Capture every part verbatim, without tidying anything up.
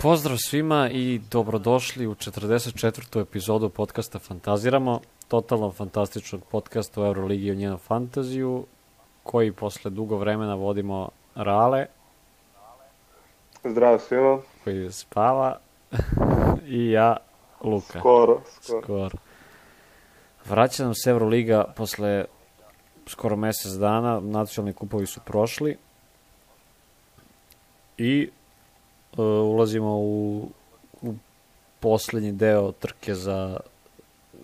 Pozdrav svima i dobrodošli u četrdeset četvrtu epizodu podcasta Fantaziramo, totalno fantastičnog podcasta o Euroligi i o njenom fantaziju, koji posle dugo vremena vodimo Rale. Zdravo svima. Koji spava. I ja, Luka. Skoro, skoro. skoro. Vraća nam se Euroliga posle skoro mesec dana, nacionalni kupovi su prošli i uh, ulazimo u, u poslednji deo trke za,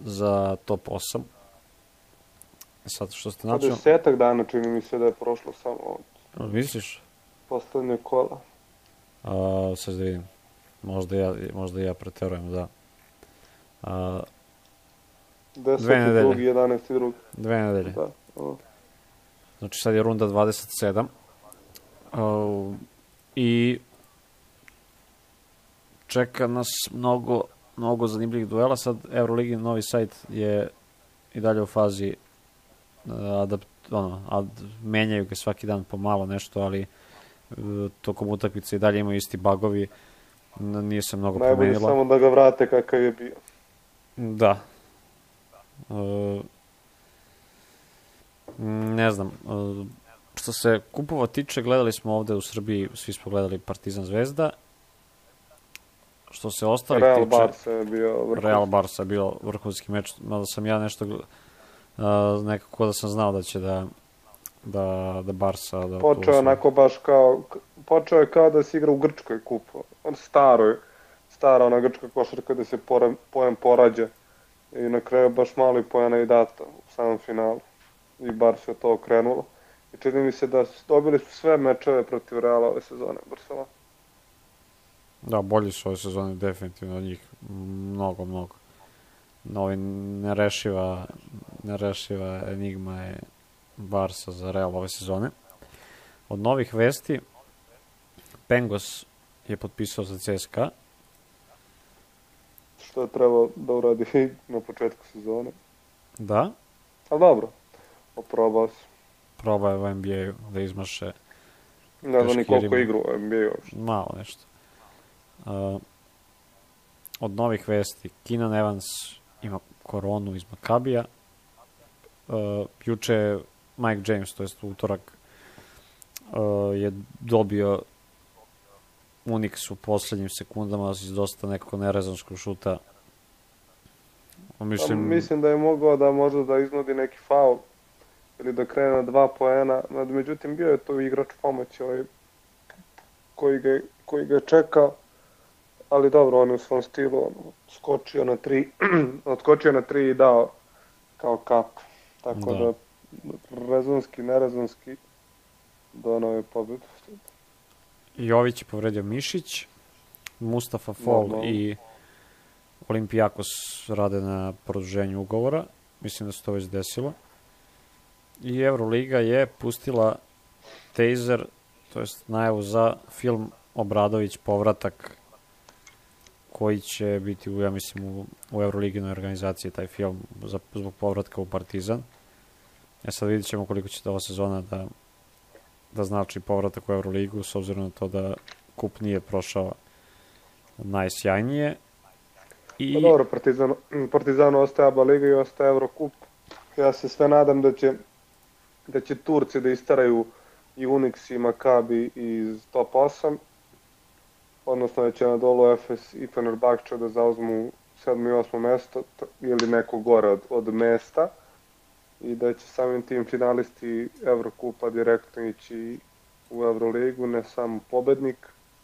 za top osam. Sad što ste nacionalni... Desetak dana čini mi se da je prošlo samo od... Misliš? Poslednje kola. A, sad da vidim. Možda ja, možda ja preterujem, da. A, Deseti drugi, jedanesti drugi. Dve nedelje. Da. O. Znači sad je runda dvadeset sedam. Uh, I čeka nas mnogo, mnogo zanimljivih duela. Sad Euroligi novi sajt je i dalje u fazi uh, adapt, ono, ad, menjaju ga svaki dan pomalo nešto, ali uh, tokom utakmice i dalje imaju isti bagovi. Nije se mnogo Najbolje promenilo. Najbolje samo da ga vrate kakav je bio. Da. Uh, ne znam. Uh, što se kupova tiče, gledali smo ovde u Srbiji, svi smo gledali Partizan Zvezda. Što se ostalih Real tiče... Barca je bio vrhunski. Real Barca je bio vrhunski meč, mada sam ja nešto uh, nekako da sam znao da će da da, da Barca... Da počeo onako baš kao... Počeo je kao da se igra u Grčkoj kupu. On staroj, stara ona grčka košarka da se pojem porađa. I na kraju baš malo i pojena i data u samom finalu. I bar se to okrenulo. I čini mi se da dobili su sve mečeve protiv Reala ove sezone Barcelona. Da, bolji su ove sezone definitivno od njih. Mnogo, mnogo. Novi nerešiva, nerešiva enigma je Barca za Real ove sezone. Od novih vesti, Pengos je potpisao za C S K A. Što je trebao da uradi na početku sezone. Da. Ali dobro, oprobao se. Probao je u N B A-u da izmaše. Ne znam ni koliko igru u N B A-u uopšte. Malo nešto. Uh, od novih vesti, Keenan Evans ima koronu iz Makabija. Uh, juče je Mike James, to jest utorak, uh, je dobio Unix u poslednjim sekundama iz dosta nekako nerezonskog šuta. Mislim... Mislim da je mogao da možda da iznudi neki faul ili da krene na dva poena, međutim bio je to igrač pomoći ovaj, koji, ga, koji ga je čekao, ali dobro, on je u svom stilu on, skočio na tri, odskočio na tri i dao kao kap, tako da, da rezonski, nerezonski donao je pobedu. Jović je povredio mišić, Mustafa Fall no, no. i Olimpijakos rade na produženju ugovora. Mislim da se to već desilo. I Euroliga je pustila teaser, to jest najavu za film Obradović povratak, koji će biti, u, ja mislim, u, u Euroliginoj organizaciji taj film za, zbog povratka u Partizan. E sad vidit ćemo koliko će ova sezona da da znači povratak u Euroligu, s obzirom na to da kup nije prošao najsjajnije. I... Pa dobro, Partizan, Partizanu ostaje ABA Liga i ostaje Eurokup. Ja se sve nadam da će, da će Turci da istaraju i Unix i Makabi iz top osam, odnosno da će na dolu Efes i Fenerbahče da zauzmu sedmo i osmo mesto ili neko gore od, od mesta, i da će samim tim finalisti Evrokupa direktno ići u Euroligu, ne samo pobednik.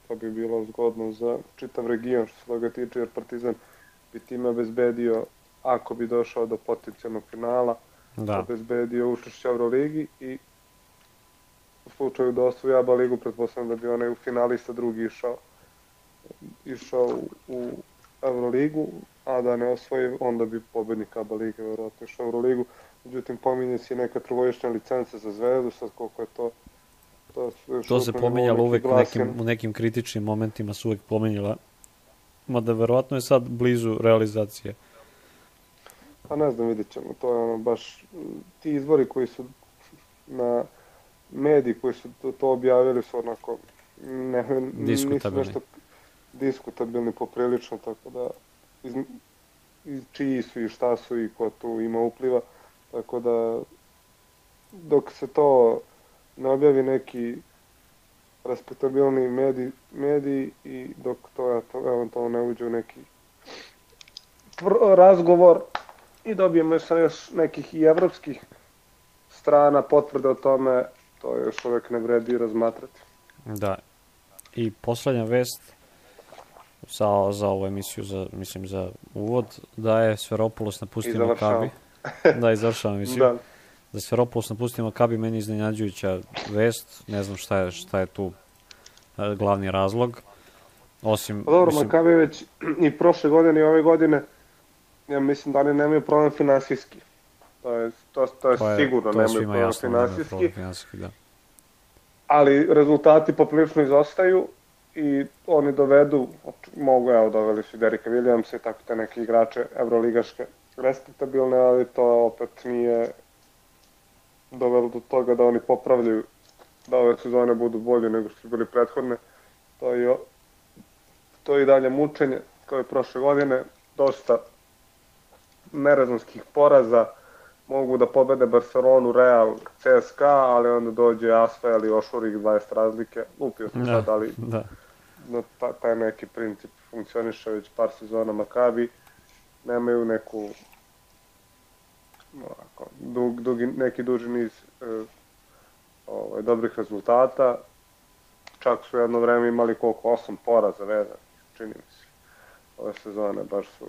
To bi bilo zgodno za čitav region što se toga tiče, jer Partizan bi time obezbedio, ako bi došao do potencijalnog finala, da. obezbedio učešće u Euroligi i u slučaju da osvoji ABA ligu, pretpostavljam da bi onaj finalista drugi išao, išao u Euroligu, a da ne osvoji, onda bi pobednik ABA lige verovatno išao u Euroligu. Međutim, pominje si neka trogodišnja licenca za Zvezdu, sad koliko je to... To, to se pominjalo uvek u nekim, u nekim kritičnim momentima, su uvek pominjala. Mada verovatno je sad blizu realizacije. Pa ne znam, vidjet ćemo. To je ono baš... Ti izvori koji su na mediji koji su to, to objavili su onako... Ne, nisu nešto... diskutabilni poprilično, tako da iz, iz čiji su i šta su i ko tu ima upliva, tako da dok se to ne objavi neki respektabilni mediji, mediji i dok to, to eventualno ne uđe u neki razgovor i dobijemo sa još nekih i evropskih strana potvrde o tome, to još uvek ne vredi razmatrati. Da. I poslednja vest za, za ovu emisiju, za, mislim za uvod, da je Sferopoulos napustio Makabi. Da, i završavam emisiju. Da. Da Sferopoulos napustio Makabi, meni iznenađujuća vest, ne znam šta je, šta je tu glavni razlog. Osim, pa dobro, mislim... Makabi već i prošle godine i ove godine, ja mislim da oni nemaju problem finansijski. To je, to, to je, to je sigurno, to je nemaju problem finansijski. finansijski da. Ali rezultati poprilično izostaju i oni dovedu, mogu, evo, doveli su Derricka Williamsa i tako te neke igrače evroligaške respektabilne, ali to opet nije dovelo do toga da oni popravljaju, da ove sezone budu bolje nego što su bili prethodne. To je, to je i dalje mučenje, kao i prošle godine, dosta nerazumskih poraza, mogu da pobede Barcelonu, Real, C S K A, ali onda dođe Asvel i ošuri ih dvadeset razlike. Lupio sam sad, ali da. No, ta, taj neki princip funkcioniše već par sezona. Makabi nemaju neku ovako, dug, dugi, neki duži niz e, ovaj, dobrih rezultata. Čak su jedno vreme imali koliko, osam poraza vezan, čini mi se. Ove sezone baš su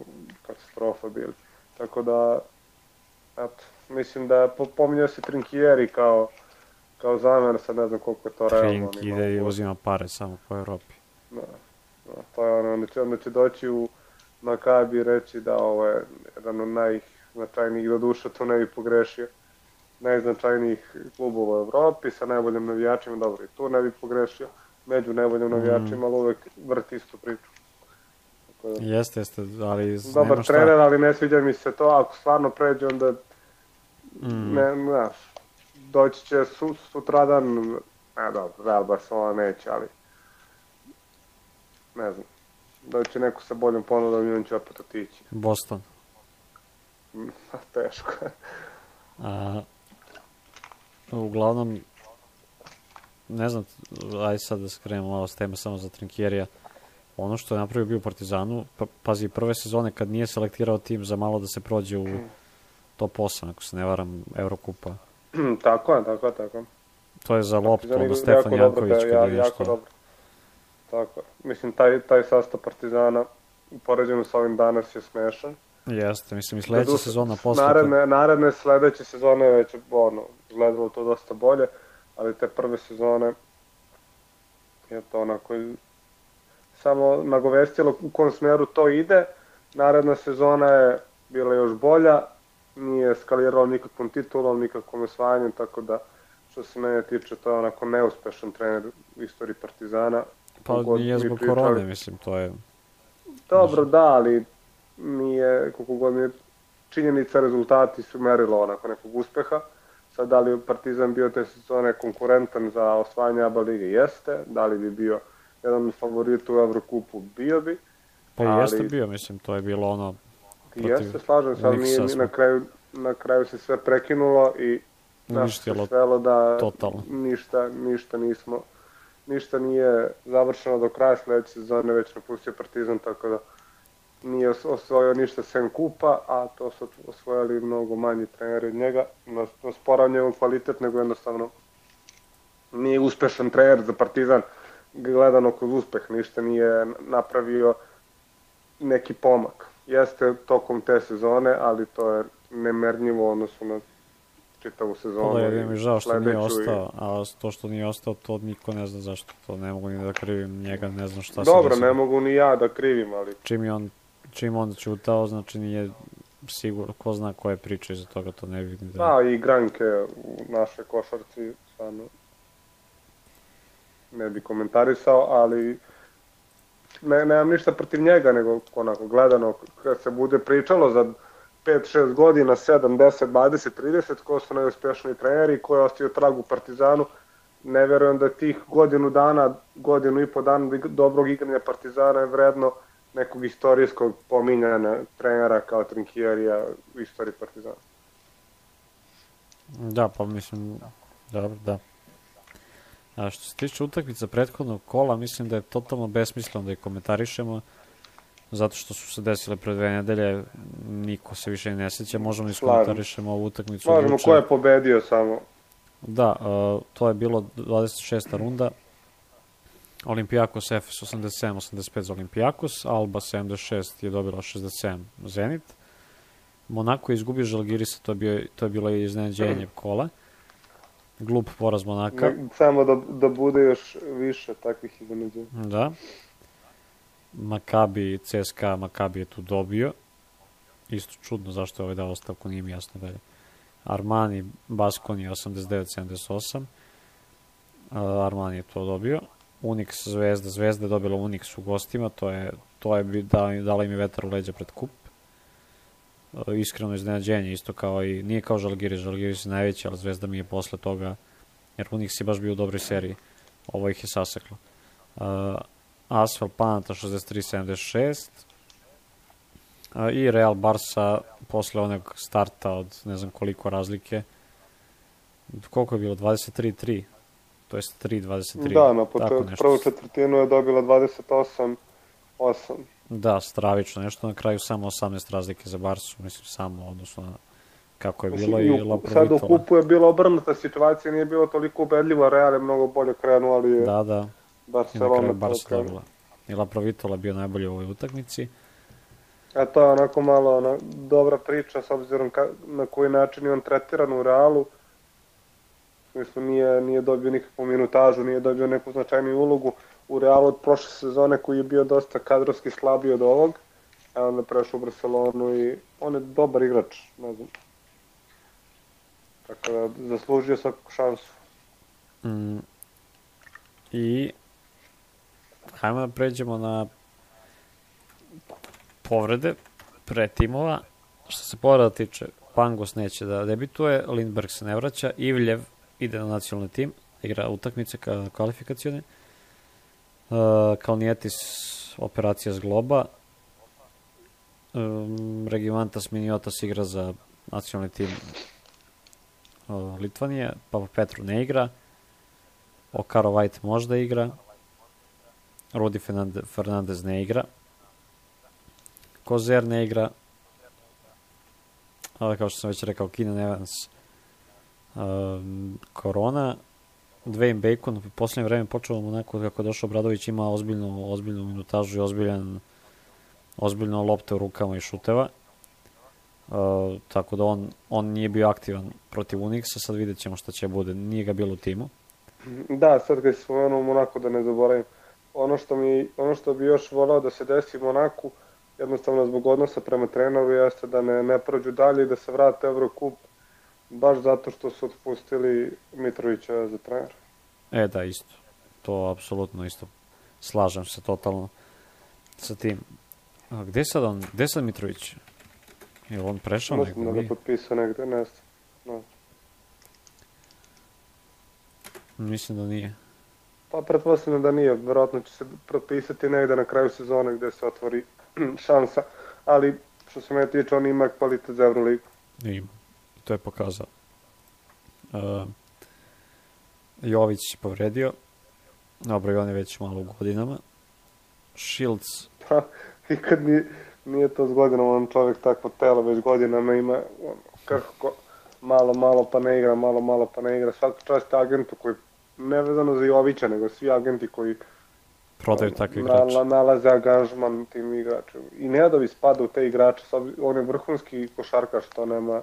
katastrofa bili. Tako da, eto, mislim da pominjao se Trinkieri kao, kao zamjer, sad ne znam koliko je to realno. Trink ide i uzima pare samo po Evropi. Da, da, to je ono, onda će, onda će doći u Makabi i reći da ovo je jedan od najznačajnijih, do duša to ne bi pogrešio, najznačajnijih klubova u Evropi sa najboljim navijačima, dobro i tu ne bi pogrešio, među najboljim navijačima, mm. ali uvek vrti istu priču. Da, jeste, jeste, ali dobar nema šta. Trener, ali ne sviđa mi se to, ako stvarno pređe, onda mm. ne, znaš, doći će su, sutradan, ne dobro, Real Barcelona neće, ali ne znam, doći neko sa boljom ponudom i on će opet otići. Boston. Teško. A, uglavnom, ne znam, aj sad da skrenemo malo s teme samo za Trinkierija. Ono što je napravio bio u Partizanu, pa, pazi, prve sezone kad nije selektirao tim za malo da se prođe u top osam, ako se ne varam, Evrokupa. Tako je, tako je, tako je. To je za loptu, onda Stefan Janković kada ja, je jako što... dobro. Tako, mislim, taj, taj sastav Partizana, poređeno sa ovim danas, je smešan. Jeste, mislim, i sledeća sezona posle... Naredne, naredne sledeće sezone je već, ono, gledalo to dosta bolje, ali te prve sezone je to onako samo nagovestilo u kom smeru to ide. Naredna sezona je bila još bolja, nije skalirala nikakvom titulom, nikakvom osvajanjem, tako da, što se mene tiče, to je onako neuspešan trener u istoriji Partizana. Pa nije zbog korone, mislim, to je... Dobro, da, ali nije, koliko god mi je činjenica, rezultati su merilo onako nekog uspeha. Sad, da li je Partizan bio te sezone konkurentan za osvajanje A B A lige? Jeste. Da li bi bio jedan od favorita u Evrokupu? Bio bi. Pa ali... jeste bio, mislim, to je bilo ono... Jeste, slažem se, ali nije, na, kraju, na kraju se sve prekinulo i nas se svelo da totalno. ništa, ništa nismo... Ništa nije završeno do kraja sledeće sezone, već napustio Partizan, tako da nije osvojio ništa sem kupa, a to su osvojili mnogo manji treneri od njega. Ne sporam njegov kvalitet, nego jednostavno nije uspešan trener za Partizan, gledano kroz uspeh, ništa nije napravio neki pomak. Jeste tokom te sezone, ali to je nemerljivo odnosu na čitavu sezonu. Ovo je mi žao što nije ostao, a to što nije ostao, to niko ne zna zašto. To ne mogu ni da krivim njega, ne znam šta se... Dobro, ne mogu ni ja da krivim, ali... Čim je on, čim on čutao, znači nije sigurno, ko zna koje priče iza toga, to ne vidim. Da, da i igranke u našoj košarci, stvarno ne bi komentarisao, ali ne, nemam ništa protiv njega, nego onako gledano, kad se bude pričalo za pet šest godina, sedam, deset, dvadeset, trideset, ko su najuspešniji treneri, ko je ostio trag u Partizanu, ne verujem da tih godinu dana, godinu i po dana dobrog igranja Partizana je vredno nekog istorijskog pominjanja trenera kao Trinkjerija u istoriji Partizana. Da, pa mislim, dobro, da. A što se tiče utakmica prethodnog kola, mislim da je totalno besmisleno da ih komentarišemo, zato što su se desile pre dve nedelje, niko se više ne seća, možemo da iskomentarišemo ovu utakmicu. Možemo, ko je pobedio samo. Da, uh, to je bilo dvadeset šesta runda, Olimpijakos Efes osamdeset sedam osamdeset pet za Olimpijakos, Alba sedamdeset šest je dobila šezdeset sedam Zenit, Monako je izgubio Žalgirisa, to je, bio, to je bilo iznenađenje kola. Glup poraz Monaka. Ne, samo da, da bude još više takvih iznenađenja. Da. Makabi, C S K A, Makabi je tu dobio. Isto čudno zašto je ovaj dao ostavku, nije mi jasno dalje. Armani, Baskoni osamdeset devet sedamdeset osam. Uh, Armani je to dobio. Unix, Zvezda, Zvezda je dobila Unix u gostima, to je, to je dala, dala im je vetar u leđa pred kup. Iskreno iznenađenje, isto kao i, nije kao Žalgiris, Žalgiris je najveći, ali Zvezda mi je posle toga, jer Unix je baš bio u dobroj seriji, ovo ih je saseklo. Uh, Asfel Panata šezdeset tri sedamdeset šest uh, i Real Barsa posle onog starta od ne znam koliko razlike, koliko je bilo, dvadeset tri tri, to jest tri dvadeset tri. Da, na početku prvu četvrtinu je dobila dvadeset osam osam. Da, stravično, nešto na kraju samo osamnaest razlike za Barsu, mislim samo, odnosno na kako je bilo. Mislim, i Laprovitola. Sad u kupu je bila obrnuta situacija, nije bilo toliko ubedljivo, Real je mnogo bolje krenuo, ali je da, da. Barcelona I na kraju Barsa dobila. I Laprovitola bio najbolji u ovoj utakmici. A to je onako malo ona, dobra priča, s obzirom ka, na koji način je on tretiran u Realu. Mislim, nije, nije dobio nikakvu minutažu, nije dobio neku značajniju ulogu u Realu od prošle sezone koji je bio dosta kadrovski slabiji od ovog, a onda prešao u Barcelonu i on je dobar igrač, ne znam. Tako da zaslužio svaku šansu. Mm. I hajmo da pređemo na povrede pre timova. Što se povreda tiče, Pangos neće da debituje, Lindberg se ne vraća, Ivljev ide na nacionalni tim, igra utakmice kvalifikacione. Uh, Kalnietis operacija zgloba, um, Regimantas Miniotas igra za nacionalni tim uh, Litvanije, Papa Petru ne igra, Okaro White možda igra, Rudi Fernandez ne igra, Kozer ne igra, ali kao što sam već rekao, Keenan Evans, uh, Korona, Dwayne Bacon u poslednje vreme počeo onako kako je došao Obradović, ima ozbiljnu, ozbiljnu minutažu i ozbiljan, ozbiljno lopte u rukama i šuteva. Uh, tako da on, on nije bio aktivan protiv Unixa, sad vidjet ćemo šta će bude, nije ga bilo u timu. Da, sad kad si spomenuo Monaku, da ne zaboravim, ono što, mi, ono što bi još volao da se desi Monaku, jednostavno zbog odnosa prema treneru, jeste da ne, ne prođu dalje i da se vrate Eurocup, baš zato što su otpustili Mitrovića za trener. E da, isto. To apsolutno isto. Slažem se totalno sa tim. A gde sad on, gde sad Mitrović? Je on prešao negde? Mislim da ga potpisao negde, ne znam. No. Mislim da nije. Pa pretpostavljam da nije, verovatno će se potpisati negde na kraju sezone gde se otvori šansa, ali što se me tiče, on ima kvalitet za Euroligu. Ima. To je pokazao. Uh, Jović je povredio. Dobro, i on je već malo u godinama. Shields. Pa, i kad nije, nije to s godinama, on čovjek takvo telo već godinama ima, on, kako malo, malo pa ne igra, malo, malo pa ne igra. Svaka čast agentu koji, ne vezano za Jovića, nego svi agenti koji prodaju takve igrače. Na, nalaze angažman tim igračima. I Nedović spada u te igrače, on je vrhunski košarkaš, to nema...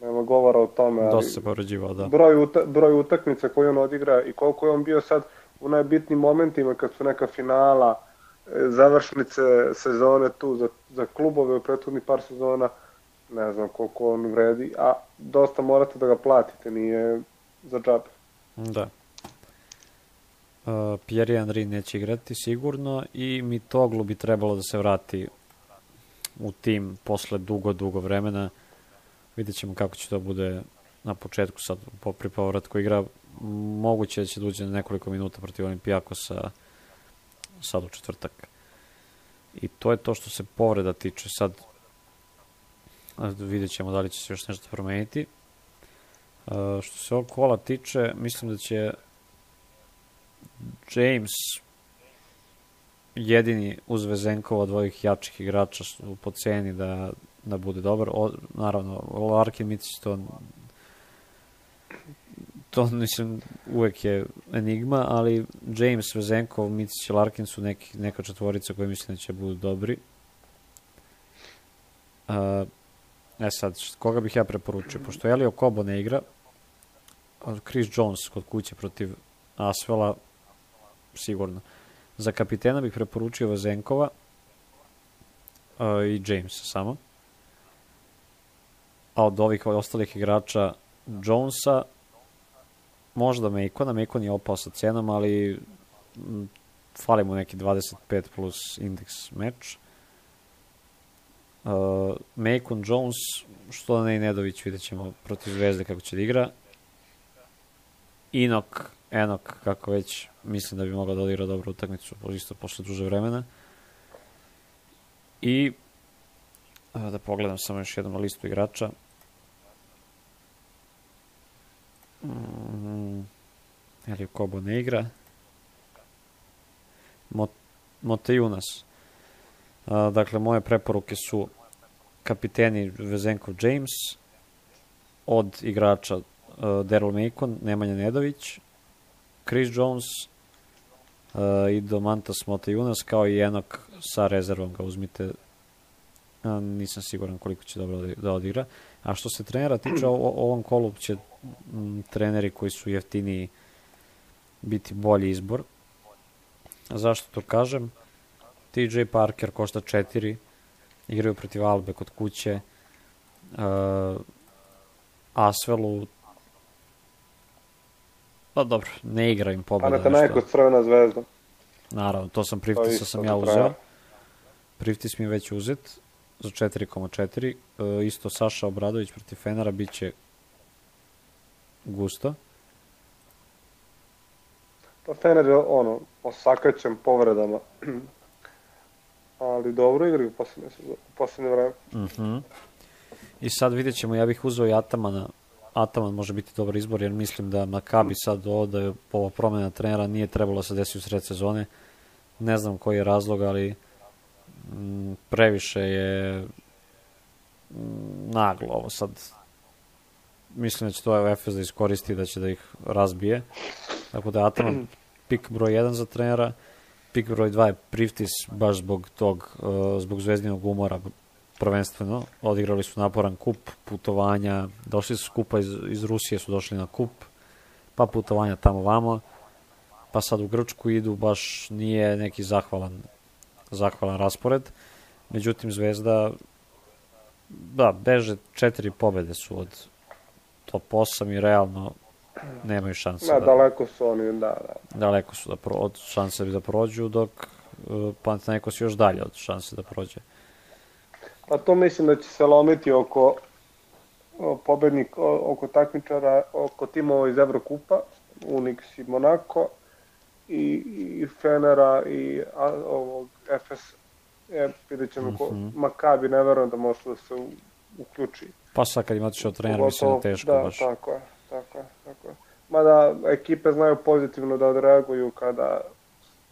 Nema govora o tome, ali dosta se povređivao, da. Broj, uta, broj utakmica koje on odigra i koliko je on bio sad u najbitnijim momentima kad su neka finala, završnice sezone tu za, za klubove u prethodni par sezona, ne znam koliko on vredi, a dosta morate da ga platite, nije za džabe. Da. Uh, Pierre Henry neće igrati sigurno i Mitoglu bi trebalo da se vrati u tim posle dugo, dugo vremena. Vidjet ćemo kako će to bude na početku sad, po pri povratku igra, moguće da će da uđe nekoliko minuta protiv Olimpijakosa sad u četvrtak. I to je to što se povreda tiče. Sad vidjet ćemo da li će se još nešto promeniti. Uh, što se ovog kola tiče, mislim da će James jedini uz Vezenkova od ovih jačih igrača po ceni da, da bude dobar. O, naravno, Larkin, Micić, to to mislim uvek je enigma, ali James, Vezenkov, Micić i Larkin su neki, neka četvorica koje mislim da će budu dobri. Uh, e sad, koga bih ja preporučio? Pošto Elio Kobo ne igra, Chris Jones kod kuće protiv Asvela sigurno. Za kapitena bih preporučio Vezenkova uh, i Jamesa samo. A od ovih ostalih igrača Jonesa možda Macona. Macon je opao sa cenom, ali m, fali mu neki dvadeset pet plus indeks meč. Uh, Macon, Jones, što ne i Nedović, vidjet ćemo protiv Zvezde kako će da igra. Inok, Enok, kako već, mislim da bi mogao da odigra dobru utakmicu, isto posle duže vremena. I da pogledam samo još jednom na listu igrača. Mm, Elio Kobo ne igra. Mot, Motejunas. A, dakle, moje preporuke su kapiteni Vezenkov, James, od igrača uh, Daryl Macon, Nemanja Nedović, Chris Jones uh, i Domantas Motejunas, kao i Enok sa rezervom ga uzmite. A, nisam siguran koliko će dobro da odigra. A što se trenera tiče, o, o ovom kolu će m, treneri koji su jeftiniji biti bolji izbor. A zašto to kažem? T J Parker košta četiri, igraju protiv Albe kod kuće. Uh, Asvelu, pa dobro, ne igra im pobjeda. Panathinaikos Crvena zvezda. Naravno, to sam Priftisa sam ja uzeo. Priftis mi je već uzet za četiri zarez četiri. Uh, isto Saša Obradović protiv Fenera biće gusto. Pa Fener je ono, osakaćem povredama. Ali dobro igraju u posljednje, posljednje vreme. Uh-huh. I sad vidjet ćemo, ja bih uzeo i Atamana. Ataman može biti dobar izbor, jer mislim da Makabi sad ovo da je ova promjena trenera nije trebalo da se desi u sred sezone. Ne znam koji je razlog, ali m, previše je m, naglo ovo sad. Mislim da će to Efes da iskoristi, da će da ih razbije. Tako da je Ataman pik broj jedan za trenera. Pik broj dva je Priftis, baš zbog tog, uh, zbog zvezdinog umora prvenstveno. Odigrali su naporan kup, putovanja, došli su skupa iz, iz Rusije, su došli na kup, pa putovanja tamo vamo, pa sad u Grčku idu, baš nije neki zahvalan, zahvalan raspored. Međutim, Zvezda, da, beže četiri pobede su od top osam i realno nemaju šanse. Da, da, daleko su oni, da, da. Daleko su da pro, od šanse da prođu, dok uh, Panathinaikos još dalje od šanse da prođe. Pa to mislim da će se lomiti oko o, pobednik, o, oko takmičara, oko timova iz Evrokupa, Unix i Monako, i, i Fenera i a, ovog Efes. E, vidjet ćemo ko, mm-hmm. Makabi, ne verujem da može da se u, uključi. Pa sad kad im otišao trener, mislim da teško da, baš. Tako je, tako je, tako je. Mada ekipe znaju pozitivno da odreaguju kada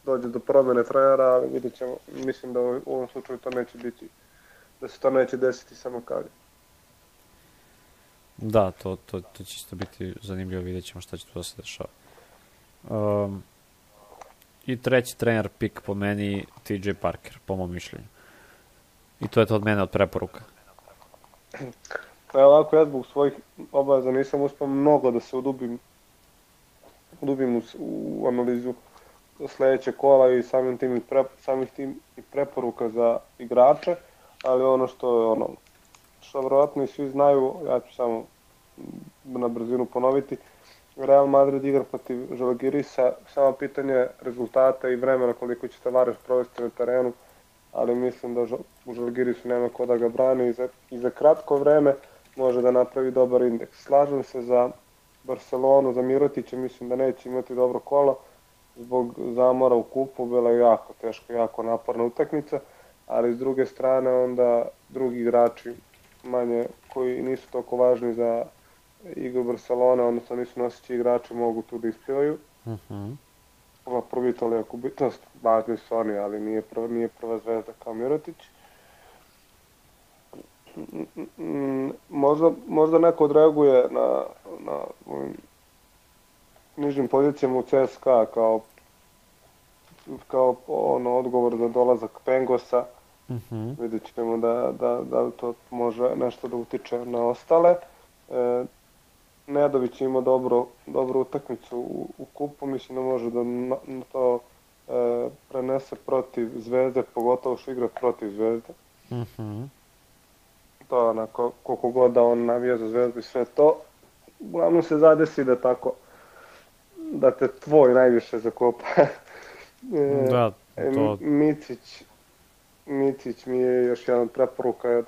dođe do promjene trenera, ali vidjet ćemo, mislim da u ovom slučaju to neće biti, da se to neće desiti samo Makabi. Da, to, to, to će isto biti zanimljivo, vidjet ćemo šta će tu da se dešava. Um, I treći trener pik po meni, T J Parker, po mom mišljenju. I to je to od mene od preporuka. Pa ovako, ja zbog svojih obaveza nisam uspio mnogo da se udubim, udubim u, u analizu sljedeće kola i samim tim i, pre, samih tim i preporuka za igrače, ali ono što je ono, što vjerojatno i svi znaju, ja ću samo na brzinu ponoviti, Real Madrid igra protiv Žalgirisa, samo pitanje rezultata i vremena koliko će Tavares provesti na terenu, ali mislim da u Žalgirisu nema ko da ga brani i za, i za kratko vreme može da napravi dobar indeks. Slažem se za Barcelonu za Mirotića, mislim da neće imati dobro kolo zbog zamora u kupu, bila je jako teška, jako naporna utakmica, ali s druge strane onda drugi igrači manje koji nisu toliko važni za igru Barcelona, odnosno nisu noseći igrači, mogu tu da isplivaju. Mhm. Ova prvi toliko bitnost, važni su oni, ali nije prva, nije prva zvezda kao Mirotić. Možda, možda neko odreaguje na, na ovim nižim pozicijama u C S K A kao, kao ono, odgovor za dolazak Pengosa. Mhm. Vidjet ćemo da, da, da li to može nešto da utiče na ostale. E, Nedović ima dobro, dobru utakmicu u, u kupu, mislim da može da na, na to e, prenese protiv Zvezde, pogotovo što igra protiv Zvezde. Mhm. To je onako, koliko god da on navija za Zvezdu i sve to, uglavnom se zadesi da tako, da te tvoj najviše zakopa. e, Da, to... Micić, Micić mi je još jedan preporuka, jer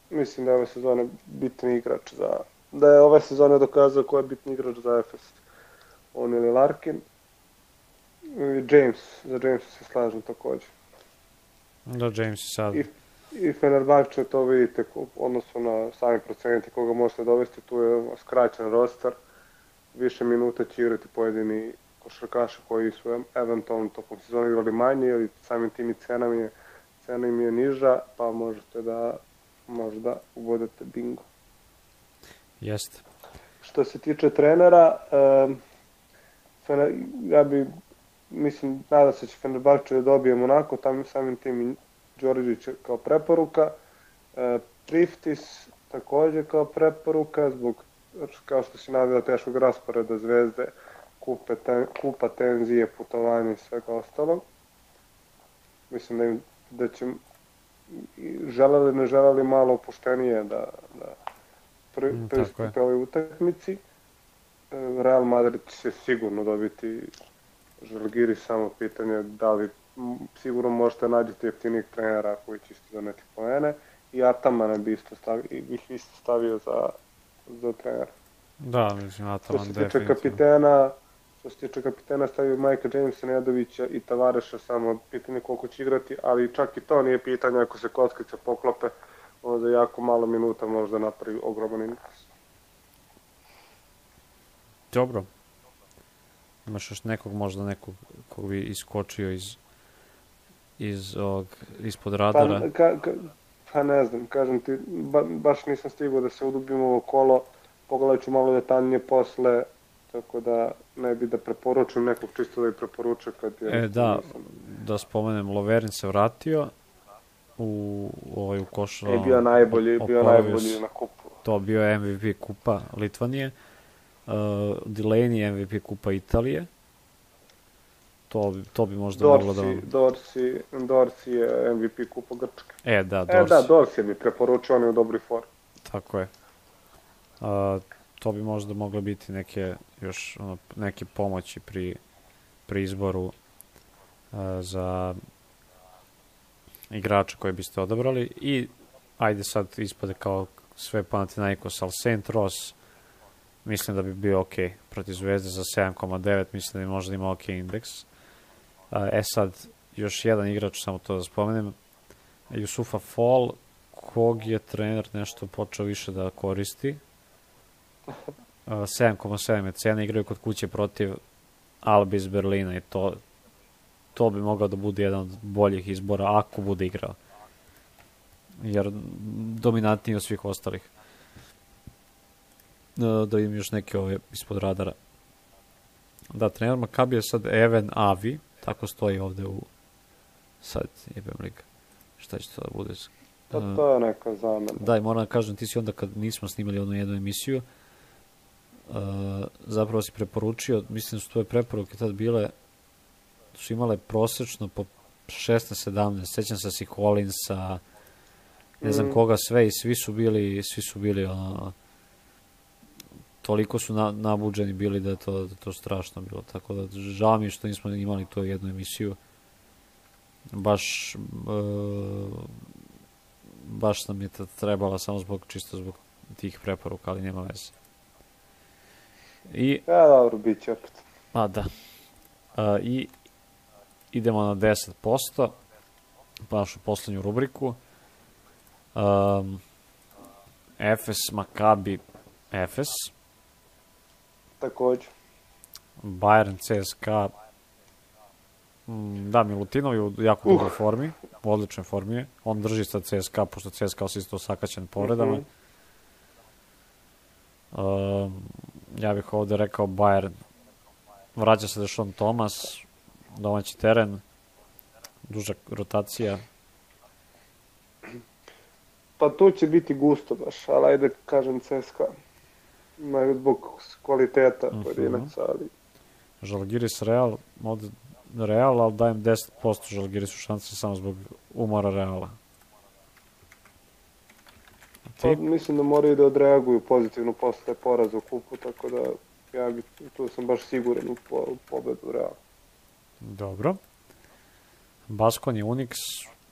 mislim da je ove sezone bitni igrač za, da je ove sezone dokazao ko je bitni igrač za Efes. On ili Larkin. I James, za Jamesa se slažem također. Da, James je sad... I, i Fenerbahče, to vidite, odnosno na sami proceniti koga možete dovesti, tu je skraćen roster, više minuta će igrati pojedini košarkaši koji su eventualno tokom sezona igrali manje, ili samim tim i cena im je, cena im je niža, pa možete da možda ubodete bingo. Jeste. Što se tiče trenera, um, Fener, ja bi, mislim, nadam se će Fenerbahče da dobije Monako, tam samim tim i Đorđević kao preporuka. E, Priftis također kao preporuka, zbog, kao što si navio, teškog rasporeda Zvezde, kupe, ten, kupa, tenzije, putovanja i svega ostalog. Mislim da, im, da će želeli ne želeli malo opuštenije da, da pri, mm, pristupe ovoj utakmici. E, Real Madrid će sigurno dobiti Žalgiris, samo pitanje da li sigurno možete nađeti jeftinijeg trenera koji će isto doneti poene, i Atamana bi isto stavio, bih isto stavio za, za trenera. Da, mislim, Ataman definitivno. Što se tiče kapitena, što se tiče kapitena stavio Majka Jamesa, Nedovića i Tavareša, samo pitanje koliko će igrati, ali čak i to nije pitanje, ako se kockice poklope, onda jako malo minuta možda napravi ogroman interes. Dobro. Imaš još nekog, možda nekog kog bi iskočio iz iz ovog, ispod radara? Pa, ka, ka, pa ne znam, kažem ti, ba, baš nisam stigao da se udubim ovo kolo, pogledat ću malo detaljnije posle, tako da ne bi da preporučujem nekog, čisto da i preporučujem kad je... E, da, nisam... da spomenem, Loverin se vratio u, ovaj, u košu... E, bio najbolji, bio najbolji na kupu. To bio je M V P kupa Litvanije, uh, Delaney M V P kupa Italije. To, to bi možda Dorsi, moglo da vam... Dorsi, Dorsi je M V P kupa Grčke. E, da, Dorsi. E, da, Dorsi bi preporučio, on je u dobroj formi. Tako je. Uh, to bi možda mogle biti neke, još, ono, neke pomoći pri, pri izboru uh, za igrača koje biste odabrali. I, ajde sad ispade kao sve Panathinaikos, ali Saint Ross, mislim da bi bio ok protiv Zvezde za sedam zarez devet, mislim da bi možda imao ok indeks. E sad, još jedan igrač, samo to da spomenem, Jusufa Fall, kog je trener nešto počeo više da koristi. sedam zarez sedam je cena, igraju kod kuće protiv Albi iz Berlina i to, to bi mogao da bude jedan od boljih izbora ako bude igrao. Jer dominantniji od svih ostalih. Da im još neke ove ispod radara. Da, trener Makabi je sad Even Avi, tako stoji ovde u... Sad, jebem liga. Šta će to da bude? To, to je neka zamena. Da, i moram da kažem, ti si onda kad nismo snimali onu jednu emisiju, uh, zapravo si preporučio, mislim da su tvoje preporuke tad bile, su imale prosečno po šesnaest sedamnaest, sećam se si Collinsa, ne znam mm. koga sve, i svi su bili, svi su bili, ono, toliko su na, nabuđeni bili da je to, da to strašno bilo, tako da žao mi je što nismo imali tu jednu emisiju, baš, e, baš nam je trebala samo zbog, čisto zbog tih preporuka, ali nema veze. I, ja, dobro, bit će opet. a da. A, I idemo na deset posto, našu poslednju rubriku. Um, Efes, Makabi, Efes. Takođe. Bayern, C S K A. Mm, da, Milutinov je u jako dobroj uh. formi, u odličnoj formi je. On drži sa C S K A, pošto C S K A se isto osakaćen povredama. Mm -hmm. um, ja bih ovde rekao Bayern. Vraća se Dešon Thomas, domaći teren, duža rotacija. Pa tu će biti gusto baš, ali ajde kažem C S K A. Ima zbog kvaliteta uh -huh. pojedinaca, ali... Žalgiris Real, ovde Real, ali dajem deset posto Žalgirisu šanse samo zbog umora Reala. Pa, mislim da moraju da odreaguju pozitivno posle poraza u kupu, tako da ja bi, tu sam baš siguran u, po, u pobedu Reala. Dobro. Baskonija, Unix,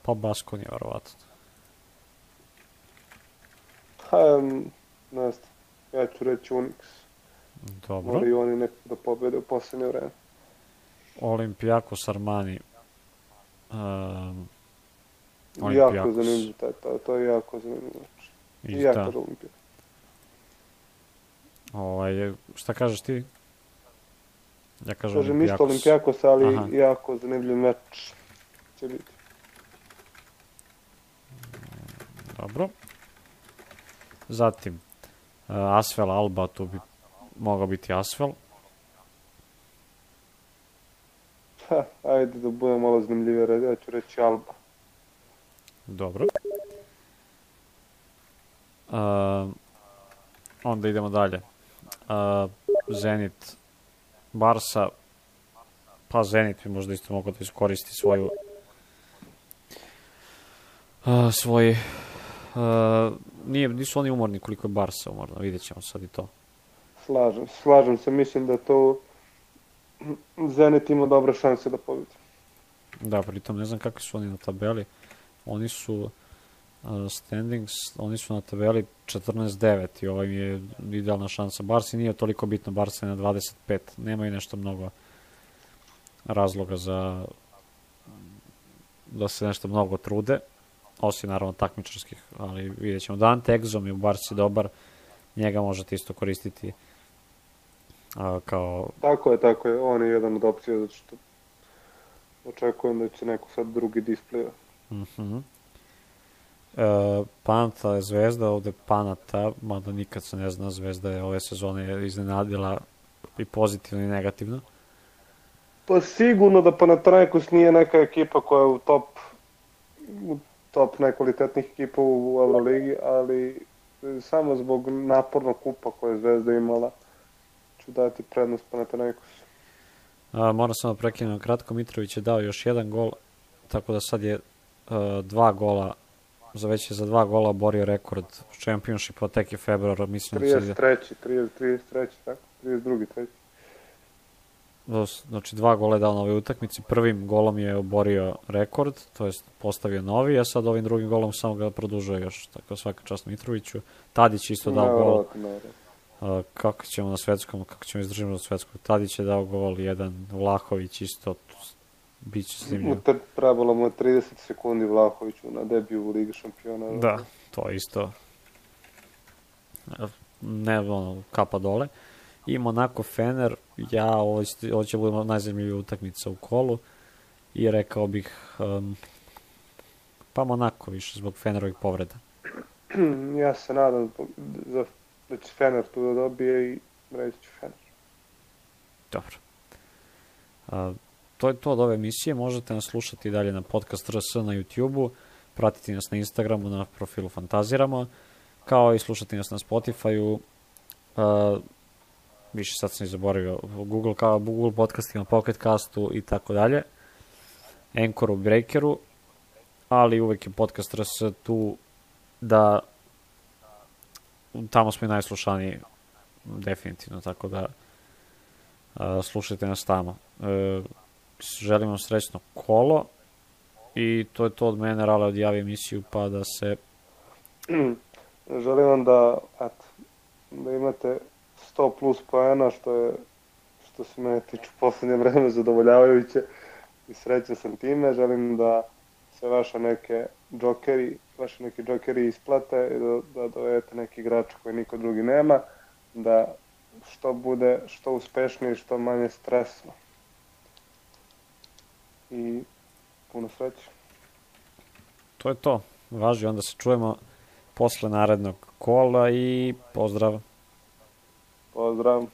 pa Baskonija, verovatno. Ha, ne znam, ja ću reći Unix. Dobro. Moraju oni nekako da pobede u posljednje vreme. Olimpijakos, Armani. Um, jako zanimljivo, to, to je jako zanimljivo. I ja kažem Olimpijakos. Ovaj, šta kažeš ti? Ja kažem, kažem isto Olimpijakos, ali aha, jako zanimljiv meč će biti. Dobro. Zatim, uh, Asvel, Alba, tu bi mogao biti Asvel. Ha, ajde da bude malo zanimljivije, ja ću reći Alba. Dobro. Uh, onda idemo dalje. Uh, Zenit, Barsa, pa Zenit bi možda isto mogao da iskoristi svoju uh, svoj uh, nije, nisu oni umorni koliko je Barsa umorno, vidjet ćemo sad i to. Slažem, slažem se, mislim da to Zenit ima dobre šanse da pobedi. Da, pritom ne znam kakvi su oni na tabeli, oni su uh, standings, oni su na tabeli četrnaest devet i ovaj mi je idealna šansa. Barsi nije toliko bitno, Barsa je na dvadeset pet, nemaju nešto mnogo razloga za da se nešto mnogo trude, osim naravno takmičarskih, ali vidjet ćemo. Dante Exum je u Barsi dobar, njega možete isto koristiti a, kao... Tako je, tako je, on je jedan od opcija, zato što očekujem da će neko sad drugi displija. Mhm. Uh, e, Panata je Zvezda, ovde Panata, mada nikad se ne zna, Zvezda je ove sezone iznenadila i pozitivno i negativno. Pa sigurno da Panathinaikos nije neka ekipa koja je u top u top najkvalitetnijih ekipa u Euroligi, ali samo zbog napornog kupa koje je Zvezda imala ću dati prednost Panathinaikosu. Moram samo prekinem kratko, Mitrović je dao još jedan gol, tako da sad je uh, dva gola, za već je za dva gola oborio rekord Championshipa, tek je februar, mislim da trideset treći, trideset treći, tako, trideset drugi, treći. Znači dva gola je dao na ovoj utakmici, prvim golom je oborio rekord, to jest postavio novi, a sad ovim drugim golom samo ga produžuje još, tako svaka čast Mitroviću. Tadić isto dao no, gol. No, no. Uh, kako ćemo na svetskom, kako ćemo izdržati na svetskom. Tadić je dao gol, jedan Vlahović isto, bit će zanimljivo. Trebalo mu je trideset sekundi Vlahoviću na debiju u Ligi šampiona. Da, to isto ne, ono, kapa dole. I Monaco Fener, ja, ovo, ovo će biti najzanimljivija utakmica u kolu i rekao bih um, pa Monaco više zbog Fenerovih povreda. Ja se nadam za, da će Fener tu da dobije i reći ću Fener. Dobro. Uh, to je to od ove emisije, možete nas slušati dalje na podcast R S na YouTube-u, pratiti nas na Instagramu, na profilu Fantaziramo, kao i slušati nas na Spotify-u, uh, više sad sam i zaboravio, Google, kao Google podcastima, Pocket Castu i tako dalje, Anchoru, Breakeru, ali uvek je podcast R S tu da tamo smo i najslušaniji definitivno, tako da uh, slušajte nas tamo. Uh, želim vam srećno kolo i to je to od mene, Rale odjavi emisiju pa da se želim vam da, eto, da imate sto plus poena, što je, što se mene tiče u poslednje vreme zadovoljavajuće i srećan sam time. Želim da se vaše neke džokeri, vaše neki džokeri isplate i da, da dovedete neki igrač koji niko drugi nema, da što bude što uspešniji, što manje stresno. I puno sreće. To je to. Važi, onda se čujemo posle narednog kola i pozdrav. Pozdrav.